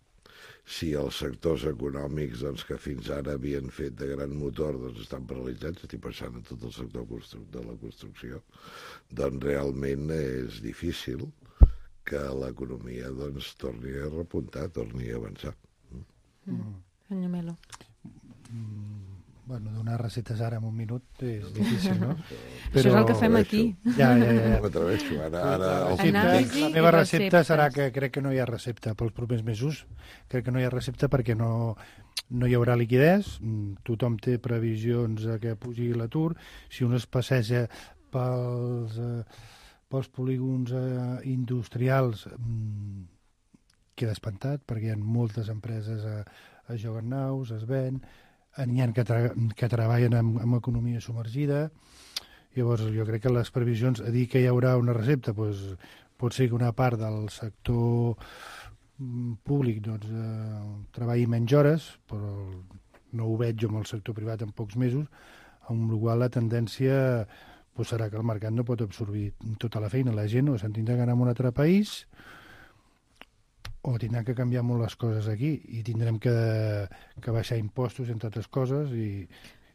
si els sectors econòmics que fins ara havien fet de gran motor estan paralitzats, estic pensant en tot el sector de la construcció, doncs realment és difícil que l'economia torni a repuntar, torni a avançar. Senyor Melo. Bueno, donar receptes ara en un minut és difícil, no? Però... Això és el que fem aquí. Ja. M'atreveixo, ara la meva recepta serà que crec que no hi ha recepta pels propers mesos. Crec que no hi ha recepta perquè no hi haurà liquidez, tothom té previsions que pugi l'atur. Si un es passeja pels polígons industrials queda espantat perquè hi ha moltes empreses a joguen naus, es ven, n'hi ha que treballen amb economia submergida. Llavors jo crec que les previsions, a dir que hi haurà una recepta, doncs, pot ser que una part del sector públic treballi menys hores, però no ho veig jo amb el sector privat en pocs mesos, amb la qual la tendència serà que el mercat no pot absorbir tota la feina. La gent o se'n tindrà que anar a un altre país o tindran que canviar molt les coses aquí i tindrem que baixar impostos, entre altres coses,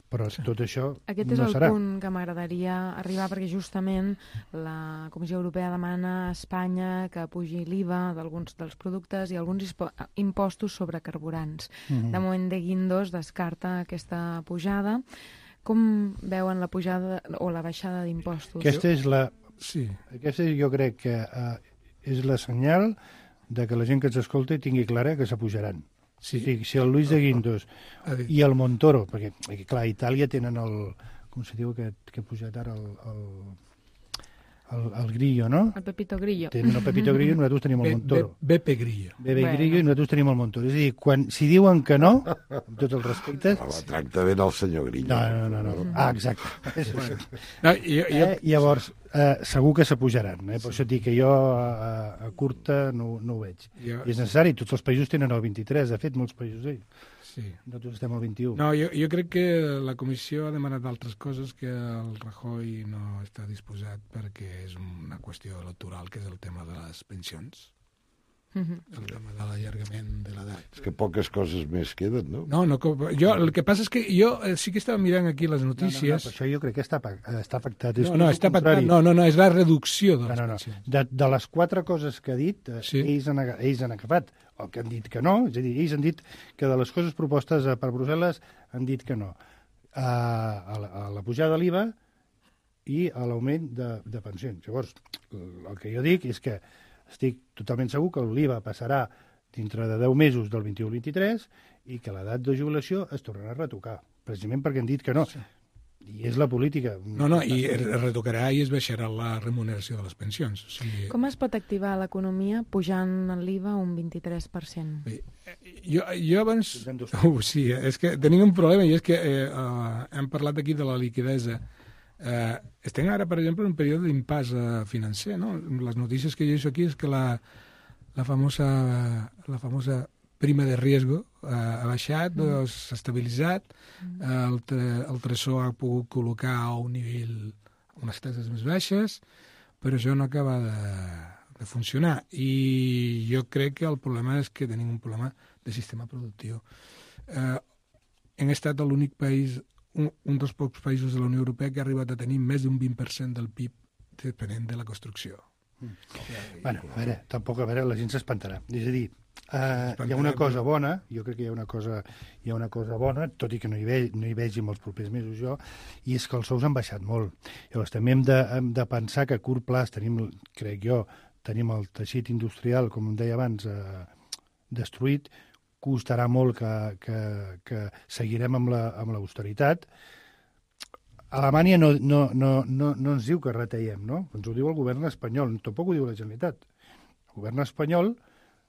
però tot això no serà. Aquest és el punt que m'agradaria arribar, perquè justament la Comissió Europea demana a Espanya que pugi l'IVA d'alguns dels productes i alguns impostos sobre carburants. De moment, de Guindos descarta aquesta pujada. Com veuen la pujada o la baixada d'impostos? Aquesta jo crec que és la senyal de que la gent que ens escolta tingui clara que s'apujaran. Sí. Si el Luis de Guindos i el Montoro, perquè clar, a Itàlia tenen com se diu que ha pujat ara el Grillo, no? El Pepito Grillo. Tenen el Pepito Grillo i nosaltres tenim el Montoro. Beppe Grillo. Grillo i nosaltres tenim el Montoro. És a dir, si diuen que no, amb tots els respectes... La tracta ben el senyor Grillo. No. Exacte. Llavors, segur que s'apujaran. Per això et dic que jo a curta no ho veig. I és necessari, tots els països tenen el 23, de fet, molts països nosaltres estem al 21. No, jo crec que la Comissió ha demanat altres coses que el Rajoy no està disposat perquè és una qüestió electoral, que és el tema de les pensions. El tema de l'allargament de l'edat. És que poques coses més queden, no? No, el que passa és que jo sí que estava mirant aquí les notícies... No, això jo crec que està afectat. No, és la reducció de les pensions. De les 4 coses que ha dit, ells han agafat el que han dit que no, és a dir, ells han dit que de les coses propostes per Brussel·les han dit que no. a la pujada de l'IVA i a l'augment de pensions. Llavors, el que jo dic és que estic totalment segur que l'IVA passarà dintre de 10 mesos del 21-23 i que l'edat de jubilació es tornarà a retocar, precisament perquè han dit que no. Sí. I és la política. No, i es retocarà i es baixarà la remuneració de les pensions. O sigui... Com es pot activar l'economia pujant l'IVA un 23%? Jo abans... Sí, és que tenim un problema i és que hem parlat aquí de la liquidesa. Estem ara, per exemple, en un període d'impàs financer, no? Les notícies que llegeixo aquí és que la famosa prima de riesgo ha baixat, s'ha estabilitzat, el tresor ha pogut col·locar a un nivell, unes taxes més baixes, però això no acaba de funcionar. I jo crec que el problema és que tenim un problema de sistema productiu. Hem estat l'únic país, un dels pocs països de la Unió Europea que ha arribat a tenir més d'un 20% del PIB depenent de la construcció. Bueno, tampoc la gent s'espantarà. És a dir, hi ha una cosa bona, jo crec que hi ha una cosa bona, tot i que no hi vegi en els propers mesos jo, i és que els sous han baixat molt. Llavors també hem de pensar que a curt plaç crec jo, tenim el teixit industrial, com em deia abans, destruït, costarà molt que seguirem amb l'austeritat. Alemanya no ens diu que retallem, no? Ens ho diu el govern espanyol, tampoc ho diu la Generalitat. El govern espanyol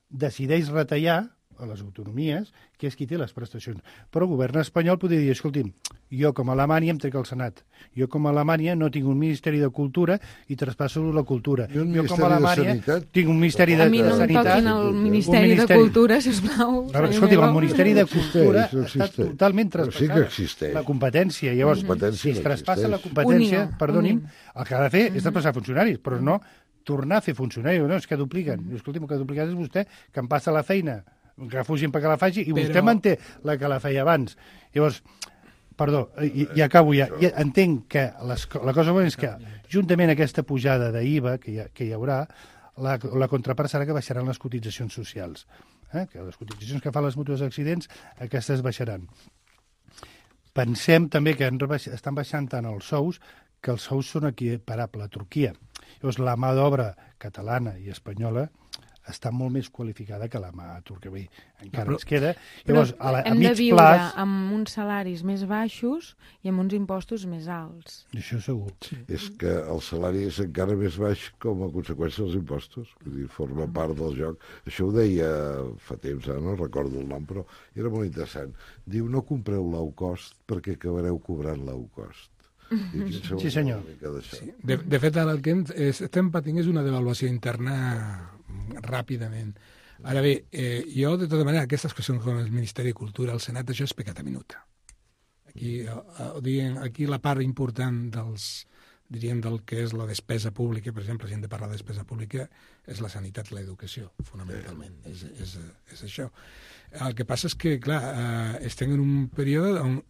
decideix retallar a les autonomies, que és qui té les prestacions. Però el govern espanyol podria dir, escolti'm, jo com a Alemanya em trec el Senat. Jo com a Alemanya no tinc un Ministeri de Cultura i traspasso la cultura. Jo com a Alemanya tinc un Ministeri de Sanitat. A mi no em toquin el Ministeri de Cultura, sisplau. Escolti'm, el Ministeri de Cultura està totalment traspassat la competència. Llavors, si es traspassa la competència, perdoni'm, el que ha de fer és traspassar funcionaris, però no tornar a fer funcionaris. No, és que dupliquen. Escolti'm, el que duplicat és vostè, que em passa la feina, que fugin perquè la faci, i vostè manté la que la feia abans. Llavors, perdó, i acabo ja. Entenc que la cosa bona és que, juntament a aquesta pujada d'IVA que hi haurà, la contrapart serà que baixaran les cotitzacions socials. Que les cotitzacions que fan les mútues d'accidents, aquestes baixaran. Pensem també que estan baixant tant els sous, que els sous són equiparables a Turquia. Llavors, la mà d'obra catalana i espanyola està molt més qualificada que la mà turca. Encara ens queda. Llavors, hem de viure amb uns salaris més baixos i amb uns impostos més alts. Això segur. Sí. És que el salari és encara més baix com a conseqüència dels impostos. Vull dir, forma part del joc. Això ho deia fa temps, no recordo el nom, però era molt interessant. Diu, no compreu low cost perquè acabareu cobrant low cost. Sí, senyor. Sí. De fet, el que estem patint és una devaluació interna ràpidament. Ara bé, jo, de tota manera, aquestes qüestions com el Ministeri de Cultura, el Senat, això és pecat a minuta. Aquí la part important del que és la despesa pública, per exemple, si hem de parlar de despesa pública, és la sanitat i l'educació, fonamentalment. És això. El que passa és que, clar, estem en un període on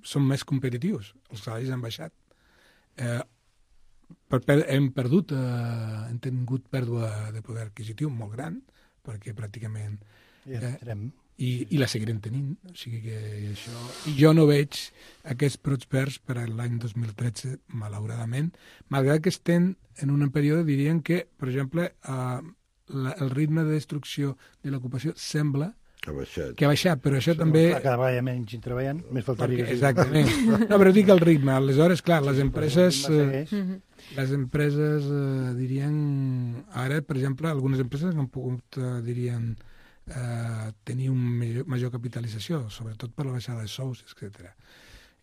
som més competitius. Els salaris han baixat. Hem tingut pèrdua de poder adquisitiu molt gran, perquè pràcticament... I la seguirem tenint. O sigui que això... I jo no veig aquests brots verds per a l'any 2013, malauradament, malgrat que estem en un període, dirien que, per exemple, el ritme de destrucció de l'ocupació sembla que ha baixat, però això també... Cada vegada menys hi treballant, més faltaria... Exactament. No, però dic el ritme. Aleshores, clar, les empreses dirien... Ara, per exemple, algunes empreses no han pogut, dirien, tenir una major capitalització, sobretot per la baixada de sous, etc.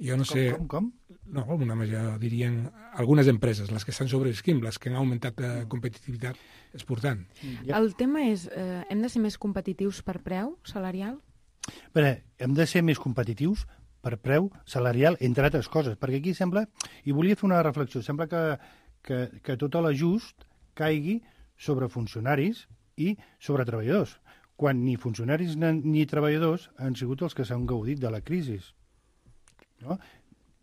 Jo no sé... Com? No, una major, dirien, algunes empreses, les que estan sobrevisquint, les que han augmentat competitivitat exportant. El tema és, hem de ser més competitius per preu salarial? Bé, hem de ser més competitius per preu salarial, entre altres coses, perquè aquí sembla, i volia fer una reflexió, sembla que tot l'ajust caigui sobre funcionaris i sobre treballadors, quan ni funcionaris ni treballadors han sigut els que s'han gaudit de la crisi. No?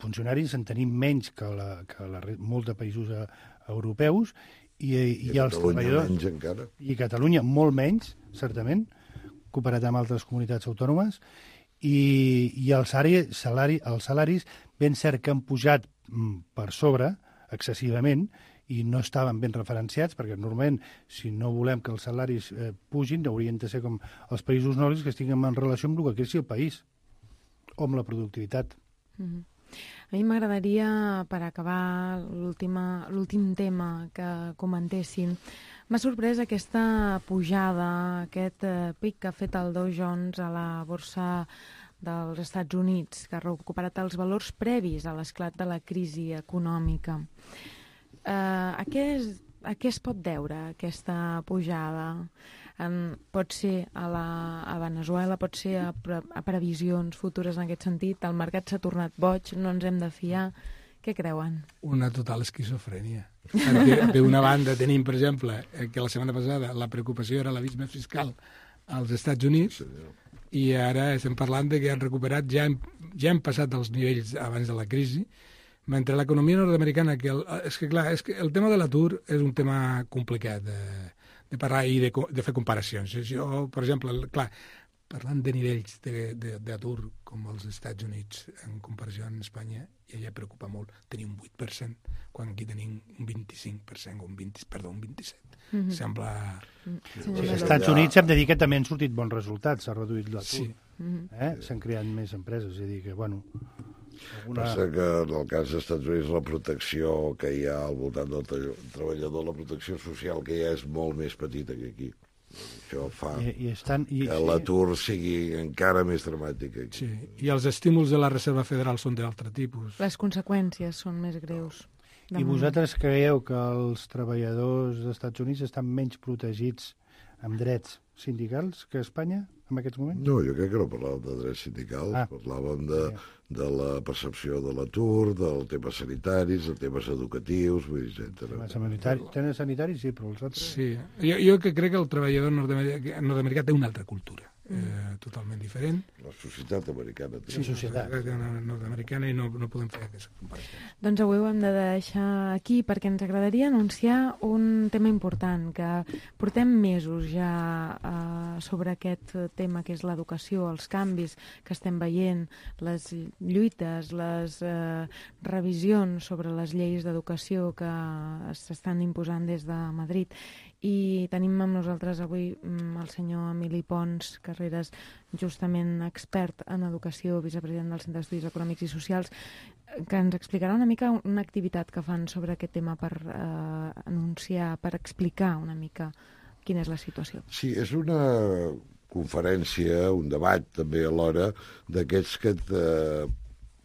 Funcionaris en tenim menys que molts de països europeus i els treballadors... Menys encara. I Catalunya molt menys, certament, comparat amb altres comunitats autònomes, I els salaris ben cert que han pujat per sobre, excessivament, i no estaven ben referenciats, perquè normalment, si no volem que els salaris pugin, haurien de ser com els països nòrdics, que estiguin en relació amb el que creixi el país, o amb la productivitat. A mi m'agradaria, per acabar l'últim tema que comentessin, m'ha sorprès aquesta pujada, aquest pic que ha fet el Dow Jones a la borsa dels Estats Units, que ha recuperat els valors previs a l'esclat de la crisi econòmica. A què es pot deure aquesta pujada? Pot ser a Venezuela, pot ser a previsions futures en aquest sentit? El mercat s'ha tornat boig, no ens hem de fiar. Què creuen? Una total esquizofrènia. Perquè d'una banda tenim, per exemple, que la setmana passada la preocupació era l'abisme fiscal als Estats Units, i ara estem parlant de que han recuperat, ja hem passat dels nivells abans de la crisi, mentre l'economia nord-americana, és que el tema de l'atur és un tema complicat de parlar i de fer comparacions. Jo, per exemple, parlant de nivells d'atur com els Estats Units en comparació amb Espanya, ja preocupa molt tenir un 8%, quan aquí tenim un 25% o un 27%. Sembla... Als Estats Units hem de dir que també han sortit bons resultats, s'ha reduït l'atur. S'han creat més empreses, és a dir que, bueno... Passa que en el cas dels Estats Units la protecció que hi ha al voltant del treballador, la protecció social que hi ha és molt més petita que aquí. Això fa que l'atur sigui encara més dramàtic aquí. Sí, i els estímuls de la Reserva Federal són d'altre tipus. Les conseqüències són més greus. I vosaltres creieu que els treballadors dels Estats Units estan menys protegits amb drets sindicals que a Espanya en aquests moments? No, jo crec que no parlàvem de drets sindicals, parlàvem de la percepció de l'atur, del temes sanitaris, de temes educatius, etc. Temes sanitaris, sí, però els altres... Sí, jo crec que el treballador nord-americà té una altra cultura, totalment diferent. La societat americana. Sí, societat nord-americana, i no podem fer aquesta comparació. Doncs avui ho hem de deixar aquí perquè ens agradaria anunciar un tema important, que portem mesos ja sobre aquest tema que és l'educació, els canvis que estem veient, les lluites, les revisions sobre les lleis d'educació que s'estan imposant des de Madrid. I tenim amb nosaltres avui el senyor Emili Pons Carreras, justament expert en educació, vicepresident del Centre d'Estudis Econòmics i Socials, que ens explicarà una mica una activitat que fan sobre aquest tema per anunciar, per explicar una mica quina és la situació. Sí, és una conferència, un debat també alhora, d'aquests que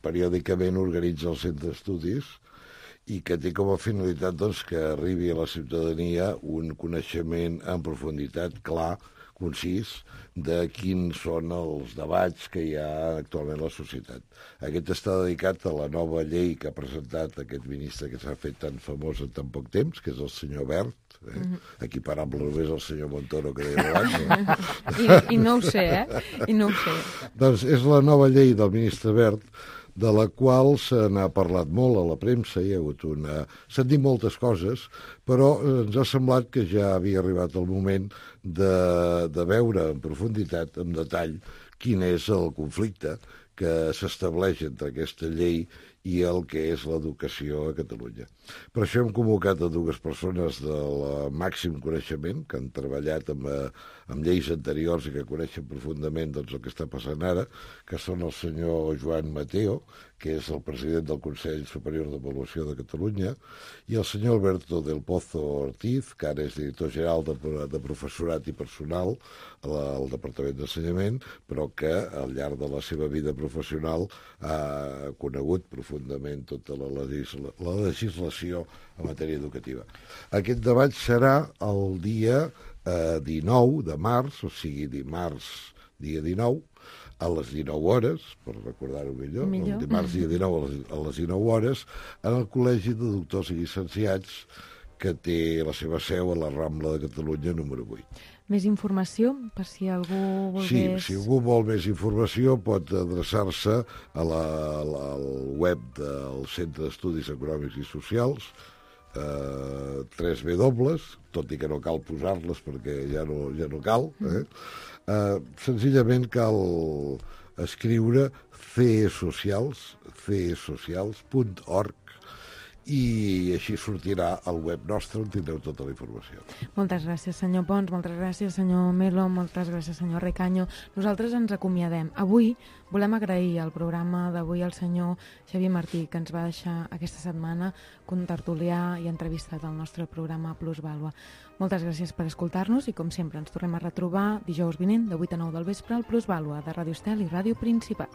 periòdicament organitza el Centre d'Estudis, i que té com a finalitat doncs, que arribi a la ciutadania un coneixement en profunditat clar, concís, de quins són els debats que hi ha actualment a la societat. Aquest està dedicat a la nova llei que ha presentat aquest ministre que s'ha fet tan famós en tan poc temps, que és el senyor Wert, equiparable només al senyor Montoro que deia abans. I no ho sé, I no ho sé. Doncs és la nova llei del ministre Wert, de la qual se n'ha parlat molt a la premsa, s'han dit moltes coses, però ens ha semblat que ja havia arribat el moment de veure en profunditat, en detall, quin és el conflicte que s'estableix entre aquesta llei i el que és l'educació a Catalunya. Per això hem convocat a dues persones del màxim coneixement, que han treballat amb lleis anteriors i que coneixen profundament el que està passant ara, que són el senyor Joan Mateo, que és el president del Consell Superior d'Avaluació de Catalunya, i el senyor Alberto del Pozo Ortiz, que ara és director general de Professorat i Personal al Departament d'Ensenyament, però que al llarg de la seva vida professional ha conegut profundament tota la legislació en matèria educativa. Aquest debat serà el dia 19 de març, o sigui dimarts, dia 19, a les 19 hores, per recordar-ho millor, el dimarts dia 19 a les 19 hores, en el Col·legi de Doctors i Llicenciats, que té la seva seu a la Rambla de Catalunya número 8. Més informació, per si algú volgués... Sí, si algú vol més informació pot adreçar-se al web del Centre d'Estudis Econòmics i Socials, 3W, tot i que no cal posar-les perquè ja no cal. Senzillament cal escriure cesocials.org, i així sortirà al web nostre on tindreu tota la informació. Moltes gràcies, senyor Pons, moltes gràcies, senyor Melo, moltes gràcies, senyor Recaño. Nosaltres ens acomiadem. Avui volem agrair al programa d'avui al senyor Xavier Martí, que ens va deixar aquesta setmana contertuliar i entrevistat al nostre programa Plusvàlua. Moltes gràcies per escoltar-nos i, com sempre, ens tornem a retrobar dijous vinent de 8 a 9 del vespre al Plusvàlua de Ràdio Estel i Ràdio Principat.